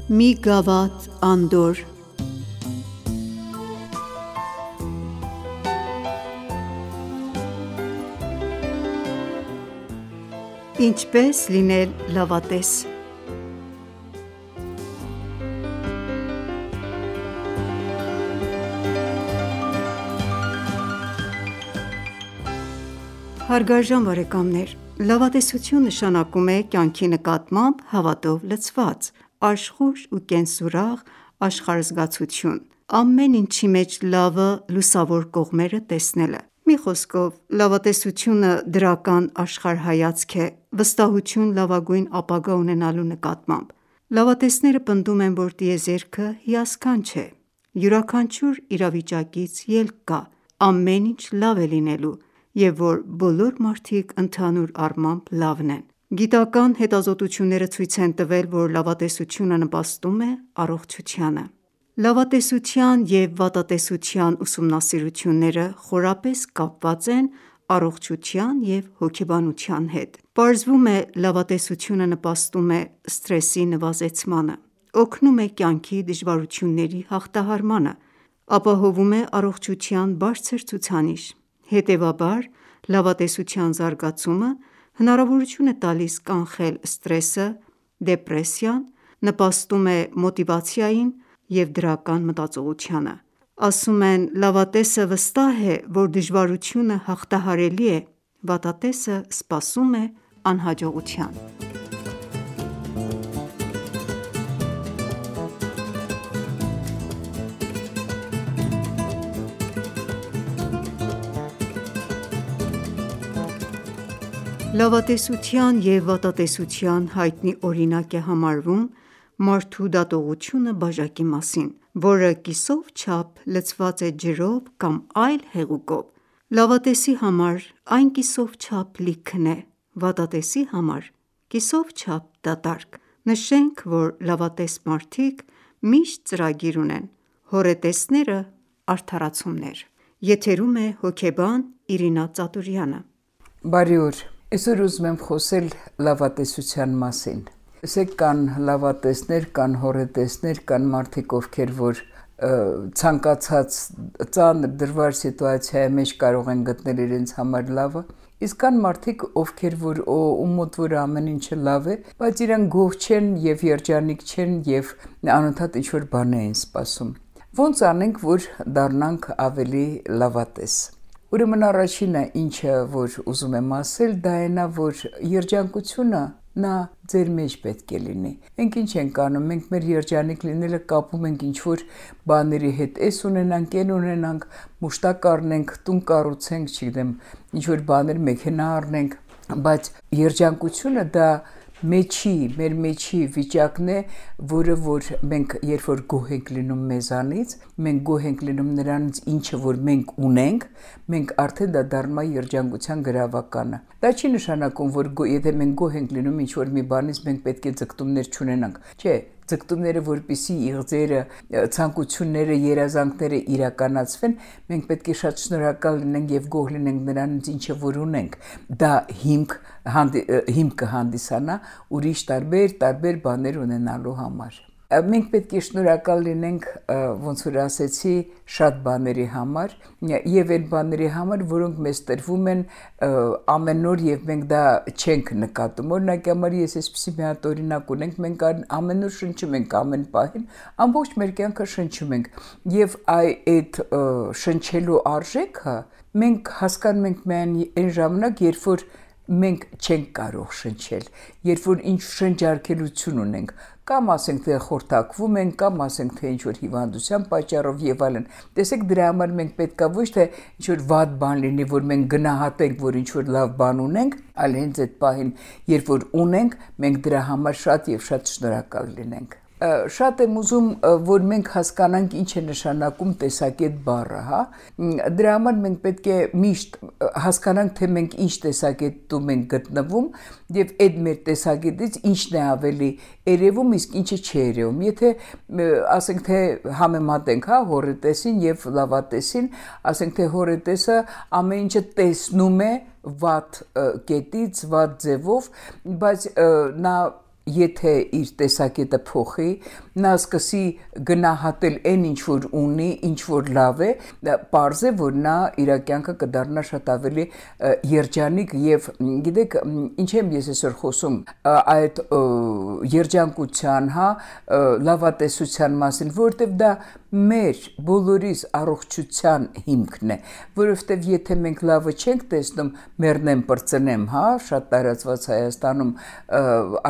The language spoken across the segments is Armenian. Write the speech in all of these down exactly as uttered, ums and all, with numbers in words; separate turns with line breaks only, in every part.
Մի գավաթ անդորր Ինչպես լինել լավատես։ Հարգարժան բարեկամներ, լավատեսություն նշանակում է կյանքի նկատմամբ հավատով լցված, աշխույժ ու կենսուրախ աշխարհազգացություն, ամեն ինչի մեջ լավը, լուսավոր կողմերը տեսնելը։ Մի խոսքով, լավատեսությունը դրական աշխարհայացք է, վստահություն լավագույն ապագա ունենալու նկատմամբ։ Լավատեսները պնդում են, որ տիեզերքը հիասքանչ է, յուրաքանչյուր իրավիճակից ելք կա, ամեն ինչ լավ է լինելու, և որ բոլոր մարդիկ ընդհանուր առմամբ լավն են։ Գիտական հետազոտությունները ցույց են տվել, որ լավատեսությունը նպաստում է առողջությանը։ Լավատեսության և վատատեսության ուսումնասիրությունները խորապես կապված են առողջության և հոգեբանության հետ։ Պարզվում է լավատեսությունը նպաստում է սթրեսի նվազեցմանը, օգնում է կյանքի դժվարությունների հաղթահարմանը, ապահովում է առողջության բարձր ցուցանիշ։ Հետևաբար, լավատեսության զարգացումը հնարավորություն է տալիս կանխել սթրեսը, դեպրեսիան, նպաստում է մոտիվացիային և դրական մտածողությանը։ Ասում են՝ լավատեսը վստահ է, որ դժվարությունը հաղթահարելի է, վատատեսը սպասում է անհաջողության։ Լավատեսության և վատատեսության հայտնի օրինակ է համարվում մարդու դատողությունը բաժակի մասին, որը կիսով չափ լցված է ջրով կամ այլ հեղուկով։ Լավատեսի համար այն կիսով չափ լիքն է, վատատեսի համար կիսով չափ դատարկ։ Նշենք, որ լավատես մարդիկ միշտ ծրագիր ունեն, հոռետեսները՝ արդարացումներ։ Եթերում է հոգեբան Իրինա Ծատուրյանը։
Բարի օր։ Այսօր ուզում եմ խոսել լավատեսության մասին։ Տեսեք, կան լավատեսներ, կան հոռետեսներ, կան մարդիկ, ովքեր որ ցանկացած ծանր դժվար սիտուացիայի մեջ կարող են գտնել իրենց համար լավը, իսկ կան մարդիկ, ովքեր որ ում մոտ որ ամեն ինչը լավ է, բայց իրենք գոհ չեն եւ երջանիկ չեն եւ անընդհատ ինչ-որ բան են սպասում։ Ոնց անենք, որ դառնանք ավելի լավատես։ Ուրեմն առաջինը, ինչը որ ուզում եմ ասել, դա այն է, որ երջանկությունը նա ձեր մեջ պետք է լինի։ Մենք ինչ ենք անում, մենք մեր երջանիկ լինելը կապում ենք ինչ-որ բաների հետ, էս ունենանք, այն ունենանք, մուշտակ առնենք, տուն կառուցենք, չգիտեմ, ինչ-որ բաներ, մեքենա առնենք, բայց երջանկությունը դա մեջի, մեր մեջի վիճակն է, որը որ մենք երբ որ գոհ ենք լինում մեզանից, մենք գոհ ենք լինում նրանից, ինչը որ մենք ունենք, մենք արդեն դա դառնում է երջանկության գրավականը։ Դա չի նշանակում, որ եթե մենք գոհ ենք լինում ինչ-որ մի բանից, մենք պետք է ձգտումներ չունենանք։ Չէ, ձգտումները, որպեսզի իղձերը, ցանկությունները, երազանքները իրականացվեն, մենք պետք է շատ շնորհակալ լինենք եւ գոհ լինենք նրանից, ինչը որ ունենք։ Դա հիմք հիմք կհանդիսանա ուրիշ տարբեր տարբեր բաներ ունենալու համար։ Մենք պետք է շնորհակալ լինենք, ոնց որ ասեցի, շատ բաների համար եւ այդ բաների համար, որոնք մեզ տրվում են ամեն օր եւ մենք դա չենք նկատում։ Օրինակ համար ես այսպեսի մի հատ օրինակ ունենք, մենք ամեն օր շնչում ենք ամեն պահին, ամբողջ մեր կյանքը շնչում ենք եւ այդ շնչելու արժեքը մենք հասկանում ենք միայն այն ժամանակ, երբ որ մենք չենք կարող շնչել, երբ որ ինչ շնչարկելություն ունենք, կամ ասենք թե խորտակվում ենք, կամ ասենք թե ինչ-որ հիվանդության պատճառով եւ այլն։ Տեսեք, դրա համար մենք պետքա ոչ թե ինչ-որ վատ բան լինի, որ մենք գնահատենք, որ ինչ-որ լավ բան ունենք, այլ հենց այդ պահին, երբ որ ունենք, մենք դրա համար շատ եւ շատ շնորհակալ լինենք։ Շատ եմ ուզում, որ մենք հասկանանք ինչ է նշանակում տեսակետ բառը, հա։ Դրա համար մենք պետք է միշտ հասկանանք, թե մենք ինչ տեսակետում ենք գտնվում եւ այդ մեր տեսակետից ինչն է ավելի երևում, իսկ ինչը չի երևում։ Եթե ասենք թե համեմատենք, հա, հոռետեսին եւ լավատեսին, ասենք թե հոռետեսը ամեն ինչը տեսնում է վատ կետից, վատ ձևով, բայց նա եթե իր տեսակետը փոխի, նա սկսի գնահատել այն ինչ որ ունի, ինչ որ լավ է, պարզ է, որ նա իր կյանքը կդառնա շատ ավելի երջանիկ եւ գիտեք, ինչ եմ ես այսօր խոսում այդ երջանկության, հա, լավատեսության մասին, որովհետեւ դա մեր բոլորիս առողջության հիմքն է, որովհետև եթե մենք լավը չենք տեսնում, մեռնեմ պրծնեմ, հա, շատ տարածված Հայաստանում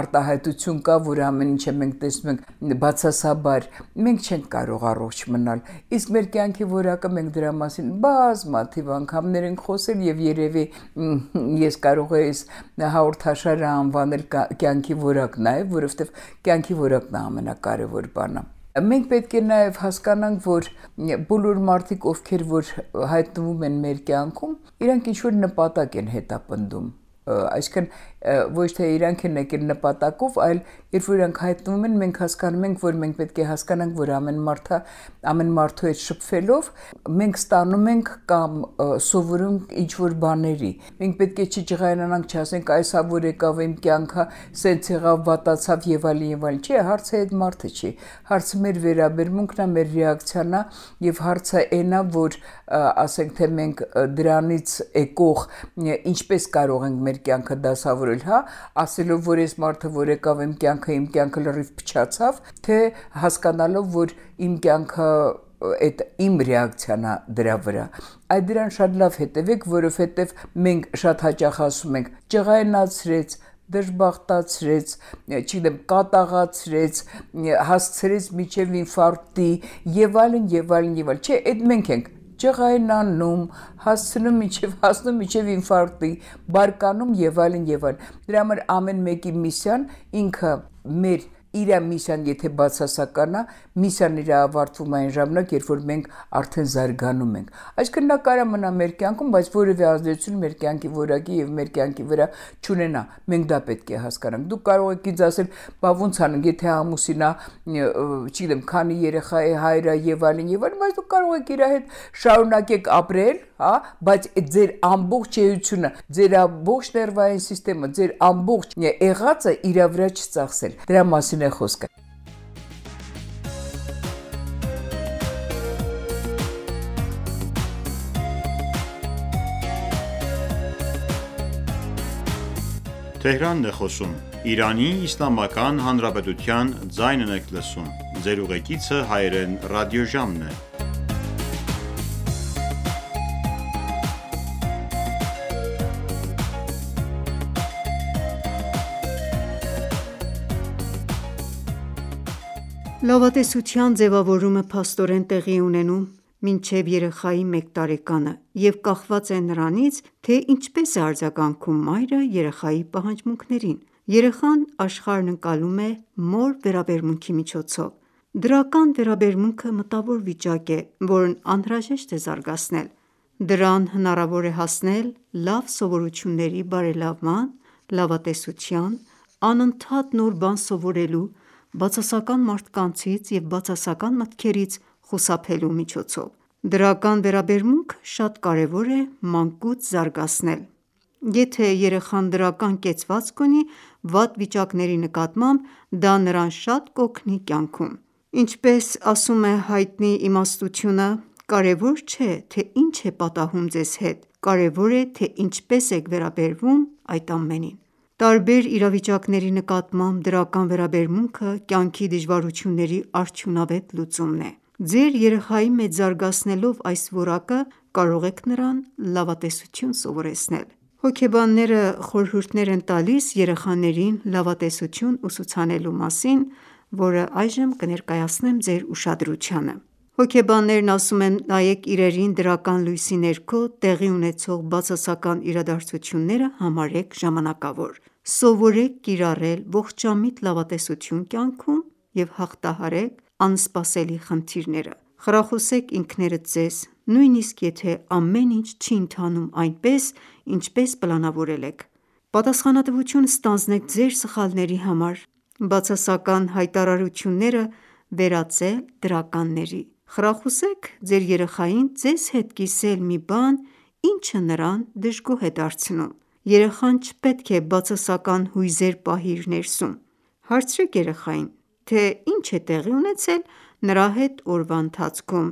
արտահայտություն կա, որ ամեն ինչը մենք տեսնում ենք բացասաբար, մենք չենք կարող առողջ մնալ, իսկ մեր կյանքի որակը մենք դրա մասին բազմաթիվ անգամներ ենք խոսել եւ երևի ես կարող եմ այս հաղորդաշարը անվանել կյանքի որակ նաեւ, որովհետև կյանքի որակն է ամենակարևոր բանը։ Մենք պետք է նաև հասկանանք, որ բոլոր մարդիկ, ովքեր որ հայտնվում են մեր կյանքում, իրանք ինչ-որ նպատակ են հետապնդում, այսինքն ոչ թե իրանք են եկել նպատակով, այլ երբ որ իրանք հայտնվում են, մենք հասկանում ենք, որ մենք պետք է հասկանանք, որ ամեն մարդը, ամեն մարդու հետ շփվելով, մենք ստանում ենք կամ սովորում ինչ-որ բաների։ Մենք պետք է չջղայնանանք, չասենք, այս հա որ եկավ իմ կյանքը, սենց եղավ, վատացավ եւ այլն եւ այլն։ Չէ, հարցը այդ մարդը չի։ Հարցը մեր վերաբերմունքն է, մեր ռեակցիան է եւ հարցը այն է, որ ասենք թե մենք դրանից եկող ինչպես կարող ենք մեր կյանքը դասավորել, հա, ասելով, որ այս մարդը որ եկավ իմ կյանքը, իմ կյանքը լրիվ փչացավ, թե հասկանալով, որ իմ կյանքը այդ իմ ռեակցիան է դրա վրա։ Այդ դրան շատ լավ հետևեք, որովհետև մենք շատ հաճախ ասում ենք ջղայնացրեց, դժբախտացրեց, չգիտեմ, կատաղացրեց, հասցրեց միջև ինֆարկտի եւ այլն եւ այլն եւ այլն։ Չէ, այդ մենք ենք ջղայնանում, հասցնում միջև հասնում միջև ինֆարկտի, բարկանում եւ այլն եւ այլն։ Դրա համար ամեն մեկի միսիան ինքը մեր իր միսիան եթե բացասական է, միսիան իր ավարտվում այն ժամանակ, երբ որ մենք արդեն զարգանում ենք։ Այսինքն նա կարա մնա մեր կյանքում, բայց որևէ ազդեցություն մեր կյանքի որակի եւ մեր կյանքի վրա չունենա։ Մենք դա պետք է հասկանանք։ Դուք կարող եք ինձ ասել, բա ոնց անենք, եթե ամուսինա, չգիտեմ, քանի երեխա է, հայր է եւ այլն եւ այլն, բայց դուք կարող եք իր հետ շարունակեք ապրել, հա, բայց ձեր ամբողջ էությունը, ձեր ամբողջ ներվային սիստեմը, ձեր ամբողջ եղածը իր վրա չծախսել։ Դրա մասին է խոսքը։
Թեհրանն է խոսում, Իրանի Իսլամական Հանրապետության ձայնն եք լսում, ձեր ուղեկիցը հայերեն ռադիոժամն է։
Լավատեսության ձևավորումը փաստորեն տեղի է ունենում մինչև երեխայի մեկ տարեկանը և կախված է նրանից, թե ինչպես է արձագանքում մայրը երեխայի պահանջմունքներին։ Երեխան աշխարհն ընկալում է մոր վերաբերմունքի միջոցով։ Դրական վերաբերմունքը մտավոր վիճակ է, որն անհրաժեշտ է զարգացնել։ Դրան հնարավոր է հասնել լավ սովորությունների բարելավման, լավատեսության, անընդհատ նոր բան սովորելու, բացասական մարդկանցից և բացասական մտքերից խուսափելու միջոցով։ Դրական վերաբերմունքը շատ կարևոր է մանկուց զարգացնել։ Եթե երեխան դրական կեցվածք ունի վատ վիճակների նկատմամբ, դա նրան շատ կօգնի կյանքում։ Ինչպես ասում է հայտնի իմաստությունը, կարևոր չէ, թե ինչ է պատահում ձեզ հետ, կարևոր է, թե ինչպես եք վերաբերվում այդ ամենին։ Տարբեր իրավիճակների նկատմամբ դրական վերաբերմունքը կյանքի դժվարությունների արդյունավետ լուծումն է։ Ձեր երեխայի մեջ զարգացնելով այս որակը, կարող եք նրան լավատեսություն սովորեցնել։ Հոգեբանները խորհուրդներ են տալիս երեխաներին լավատեսություն ուսուցանելու մասին, որը այժմ կներկայացնեմ ձեր ուշադրությանը։ Հոգեբաններն ասում են, նայեք իրերին դրական լույսի ներքո տեղի ունեցող բացասական իրադարձությունները համարեք ժամանակավոր։ Սովորեք կիրառել ողջամիտ լավատեսություն կյանքում և հաղթահարեք անսպասելի խնդիրները։ Խրախուսեք ինքներդ ձեզ, նույնիսկ եթե ամեն ինչ չի ընթանում այնպես, ինչպես պլանավորել եք։ Պատասխանատվություն ստանձնեք ձեր սխալների համար։ Բացասական հայտարարությունները վերածել դրականների։ Խրախուսեք ձեր երեխային ձեզ հետ կիսել մի բան, ինչը նրան դժգոհ է դարձնում։ Երեխան չպետք է բացասական հույզեր պահի իր ներսում։ Հարցրեք երեխային, թե ինչ է տեղի ունեցել նրա հետ օրվա ընթացքում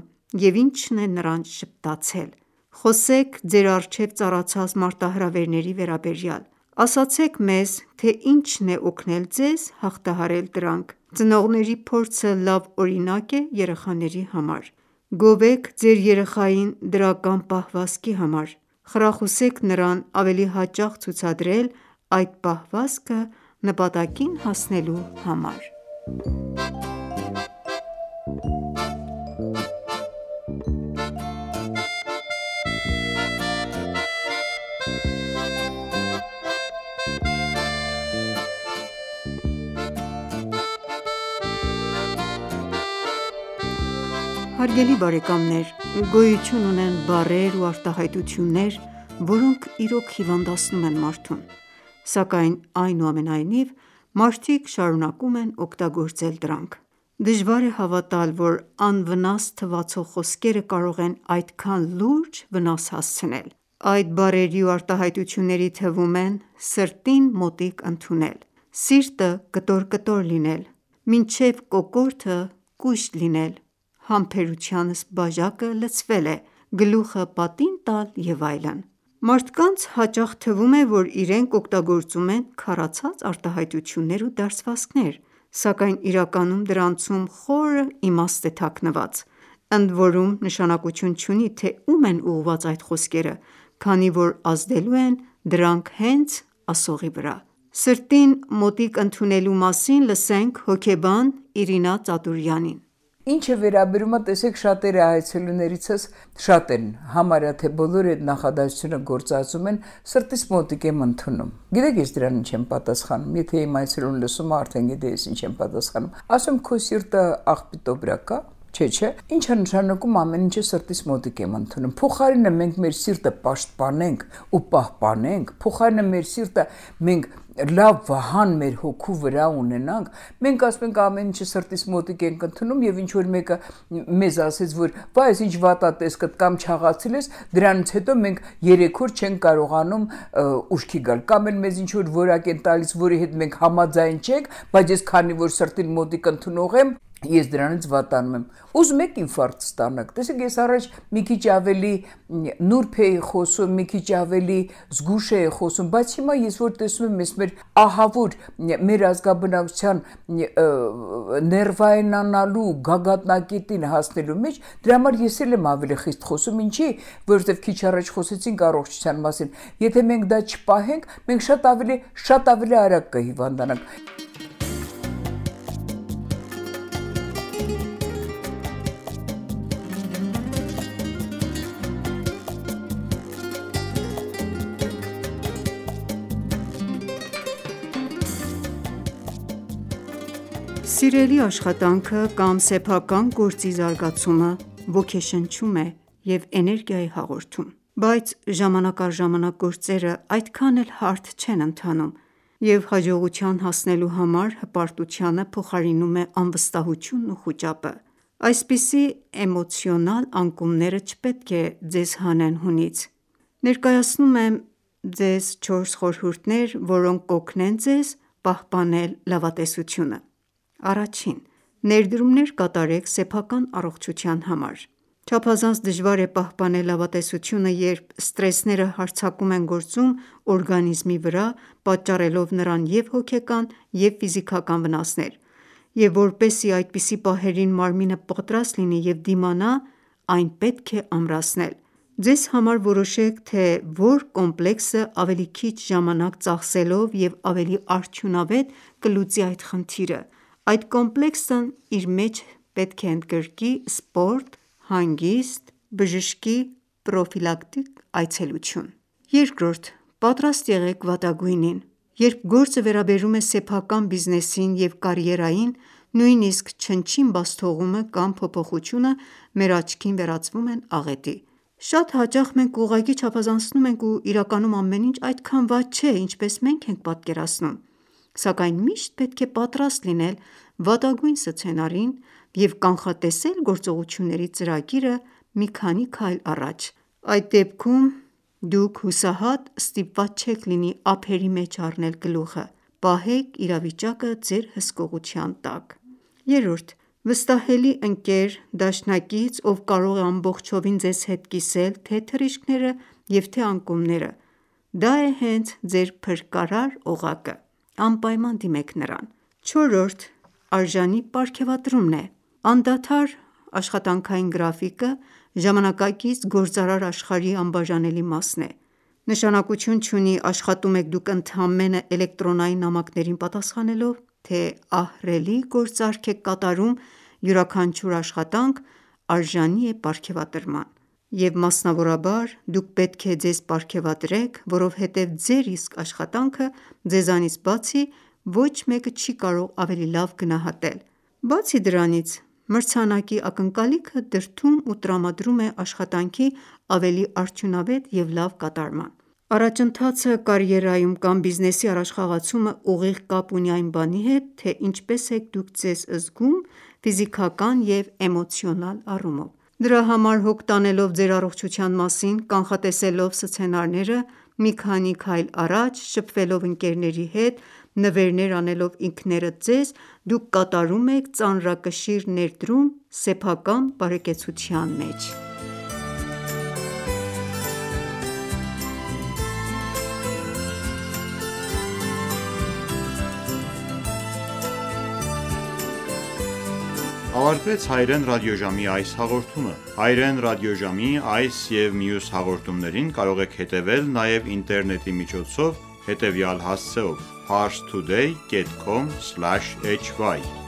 և ինչն է նրան ժպտացել: Խոսեք ձեր առջև ծառացած մարտահրավերների վերաբերյալ: Ասացեք մեզ, թե ինչն է օգնել ձեզ հաղթահարել դրանք: Ծնողների փորձը լավ օրինակ է երեխաների համար: Գովեք ձեր երեխային դրական պահվածքի համար: Խրախուսեք նրան ավելի հաճախ ցուցադրել այդ պահվածքը նպատակին հասնելու համար: Հարգելի բարեկամներ, գոյություն ունեն բառեր ու արտահայտություններ, որոնք իրոք հիվանդացնում են մարդուն: Սակայն այնուամենայնիվ, մարդիկ շարունակում են օգտագործել դրանք: Դժվար է հավատալ, որ անվնաս թվացող խոսքերը կարող են այդքան լուրջ վնաս հասցնել: Այդ բառերի ու արտահայտությունների թվում են սրտին մոտիկ ընդունել, սիրտը կտոր-կտոր լինել, մինչև կոկորդը կույշ լինել, համբերությանս բաժակը լցվել է, գլուխը պատին տալ և այլն: Մարդկանց հաճախ թվում է, որ իրենք օգտագործում են քարացած արտահայտություններ ու դարձվածքներ, սակայն իրականում դրանցում խորը իմաստ է թաքնված: Ընդորում նշանակություն չունի, թե ում են ուղղված այդ խոսքերը, քանի որ ազդելու են դրանք հենց ասողի վրա: Սրտին մոտիկ ընդունելու մասին լսենք հոգեբան Իրինա Ծատուրյանին:
Ինչ է վերաբերում, տեսեք, շատերը այցելուներիցս շատ են, համարյա թե բոլորը այդ նախադասությունը գործածում են սրտիս մոտիկ եմ ընդունում: Գիտեք ես դրան ինչ եմ պատասխանում, եթե իմ այցելուն լսում է, արդեն գիտի ես ինչ եմ պատասխանում: Ասում քո սիրտը աղբի տոբրակ ա: Չէ, չէ, ինչ է նշանակում ամեն ինչը սրտիս մոտիկ եմ ընդունում: Փոխարենը մենք մեր սիրտը պաշտպանենք ու պահպանենք, փոխարենը մեր սիրտը մենք լավ վահան մեր հոգու վրա ունենանք, մենք ասում ենք ամեն ինչը սրտիս մոտիկ ենք ընդունում և ինչ որ մեկը մեզ ասեց, որ վայ ես ինչ վատատեսկդ կամ չաղացել ես, դրանից հետո մենք երեք օր չենք կարողանում ուշքի գալ, կամ էլ մեզ ինչ որ որակ են տալիս, որի հետ մենք համաձայն չենք, բայց ես քանի որ սրտին մոտիկ ընդունող եմ, ես դրանից վատանում եմ: Ուզում եք ինֆարկտ ստանաք: Տեսեք, ես առաջ մի քիչ ավելի նուրբ էի խոսում, մի քիչ ավելի զգույշ էի խոսում, բայց հիմա ես որ տեսնում եմ մեր ահավոր մեր ազգաբնակչության ներվայնանալու գագաթնակետին հասնելու մեջ, դրա համար ես էլ եմ ավելի խիստ խոսում: Ինչի՞, որովհետև քիչ առաջ խոսեցինք առողջության մասին: Եթե մենք դա չպահենք, մենք շատ ավելի, շատ ավելի արագ կհիվանդանանք:
Սիրելի աշխատանքը կամ սեփական գործի զարգացումը ոգեշնչում է և էներգիա է հաղորդում: Բայց ժամանակ առ ժամանակ գործերը այդքան էլ հարթ չեն ընթանում և հաջողության հասնելու համար հպարտությանը փոխարինում է անվստահությունն ու խուճապը: Այսպիսի էմոցիոնալ անկումները չպետք է ձեզ հանեն հունից: Ներկայացնում եմ ձեզ չորս խորհուրդներ, որոնք կօգնեն ձեզ պահպանել լավատեսությունը: Առաջին. Ներդրումներ կատարեք սեփական առողջության համար: Չափազանց դժվար է պահպանել լավատեսությունը, երբ սթրեսները հարձակում են գործում օրգանիզմի վրա, պատճառելով նրան և հոգեկան և ֆիզիկական վնասներ: Եվ որպեսզի այդպիսի պահերին մարմինը պատրաստ լինի և դիմանա, այն պետք է ամրացնել: Ձեզ համար որոշեք, թե որ կոմպլեքսը ավելի քիչ ժամանակ ծախսելով և ավելի արդյունավետ կլուծի այդ խնդիրը: Այդ կոմպլեքսն իր մեջ պետք է ընդգրկի սպորտ, հանգիստ, բժշկի պրոֆիլակտիկ այցելություն: Երկրորդ. Պատրաստ եղեք վատագույնին: Երբ գործը վերաբերում է սեփական բիզնեսին և կարիերային, նույնիսկ չնչին բացթողումը կամ փոփոխությունը մեր աչքին վերածվում են աղետի: Շատ հաճախ մենք ուղղակի չափազանցնում ենք ու իրականում ամեն ինչ այդքան վատ չէ, ինչպես մենք ենք պատկերացնում: Սակայն միշտ պետք է պատրաստ լինել վատագույն սցենարին և կանխատեսել գործողությունների ծրագիրը մի քանի քայլ առաջ: Այդ դեպքում դուք հուսահատ ստիպված չեք լինի ափերի մեջ առնել գլուխը: Պահեք իրավիճակը ձեր հսկողության տակ: Երրորդ. վստահելի ընկեր, դաշնակից, ով կարող է ամբողջովին ձեզ հետ կիսել թե՛ թռիչքները և թե՛ անկումները: Դա է հենց ձեր փրկարար օղակը: Անպայման դիմեք նրան: Չորրորդ. արժանի պարգևատրումն է: Անդադար աշխատանքային գրաֆիկը ժամանակակից գործարար աշխարհի անբաժանելի մասն է: Նշանակություն չունի աշխատում եք դուք ընդամենը էլեկտրոնային նամակներին պատասխանելով, թե ահռելի գործարք եք կատարում, յուրաքանչյուր աշխատանք արժանի է պարգևատրման: Եվ մասնավորաբար, դուք պետք է ձեզ պարգևատրեք, որովհետև ձեր իսկ աշխատանքը ձեզանից բացի ոչ մեկը չի կարող ավելի լավ գնահատել: Բացի դրանից, մրցանակի ակնկալիքը դրդում ու տրամադրում է աշխատանքի ավելի արդյունավետ և լավ կատարման: Առաջընթացը կարիերայում կամ բիզնեսի առաջխաղացումը ուղիղ կապ ունի այն բանի հետ, թե ինչպես եք դուք ձեզ զգում ֆիզիկական և էմոցիոնալ առումով: Դրա համար հոգ տանելով ձեր առողջության մասին, կանխատեսելով սցենարները, մի քանի քայլ առաջ, շփվելով ընկերների հետ, նվերներ անելով ինքներդ ձեզ, դուք կատարում եք ծանրակշիռ ներդրում սեփական բարեկեցության մեջ:
Ավարտվեց Հայերեն ռադիոժամի այս հաղորդումը: Հայերեն ռադիոժամի այս և մյուս հաղորդումներին կարող եք հետևել նաև ինտերնետի միջոցով հետևյալ հասցեով՝ parstoday.com/hy